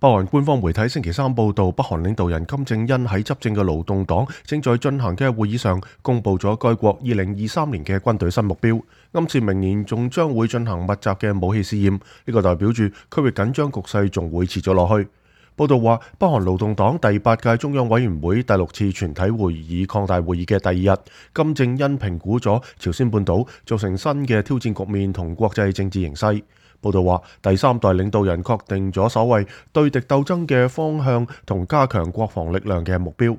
北韓官方媒體星期三報道，北韓領導人金正恩喺執政嘅勞動黨正在進行嘅會議上，公布咗該國2023年嘅軍隊新目標，暗示明年仲將會進行密集嘅武器試驗。呢個代表住區域緊張局勢仲會持續落去。報道話，北韓勞動黨第8屆中央委員會第6次全體會議擴大會議嘅第2日，金正恩評估咗朝鮮半島造成新嘅挑戰局面同國際政治形勢。報道話，第3代領導人確定咗所謂對敵鬥爭嘅方向同加強國防力量嘅目標。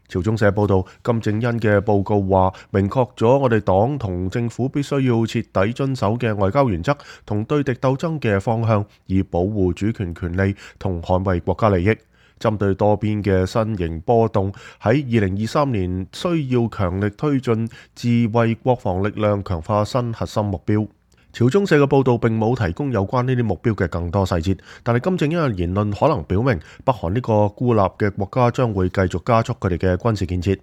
朝中社報道，金正恩嘅報告話，明確咗我哋黨同政府必須要徹底遵守嘅外交原則同對敵鬥爭嘅方向，以保護主權權利同捍衛國家利益。針對多邊嘅新型波動，喺2023年需要強力推進自衛國防力量，強化新核心目標。朝中社嘅報導並冇提供有關呢啲目標嘅更多細節，但係金正恩嘅言論可能表明，北韓呢個孤立嘅國家將會繼續加速佢哋嘅軍事建設。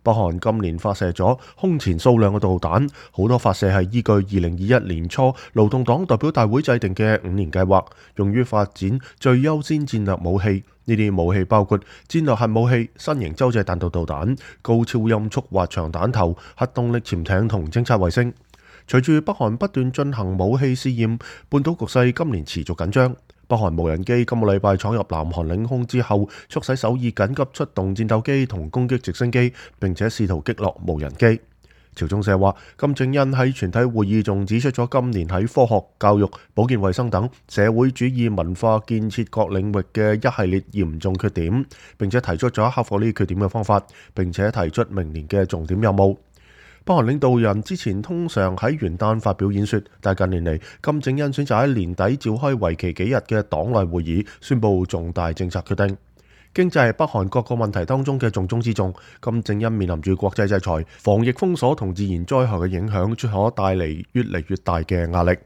北韓今年發射咗空前數量嘅導彈，好多發射係依據2021年初勞動黨代表大會制定嘅5年計劃，用於發展最優先戰略武器。呢啲武器包括戰略核武器、新型洲際彈道導彈、高超音速滑翔彈頭、核動力潛艇同偵察衛星。隨住北韓不斷進行武器試驗，半島局勢今年持續緊張。北韓無人機今個禮拜闖入南韓領空之後，促使首爾緊急出動戰鬥機同攻擊直升機，並且試圖擊落無人機。朝中社話，金正恩喺全體會議中指出咗今年喺科學、教育、保健衛生等社會主義文化建設各領域嘅一系列嚴重缺點，並且提出咗克服呢啲缺點嘅方法，並且提出明年嘅重點任務。北韓領導人之前通常喺元旦發表演說，但近年嚟，金正恩選擇喺年底召開為期幾日嘅黨內會議，宣布重大政策決定。經濟係北韓各個問題當中嘅重中之重。金正恩面臨住國際制裁、防疫封鎖同自然災害嘅影響，將可帶嚟越嚟越大嘅壓力。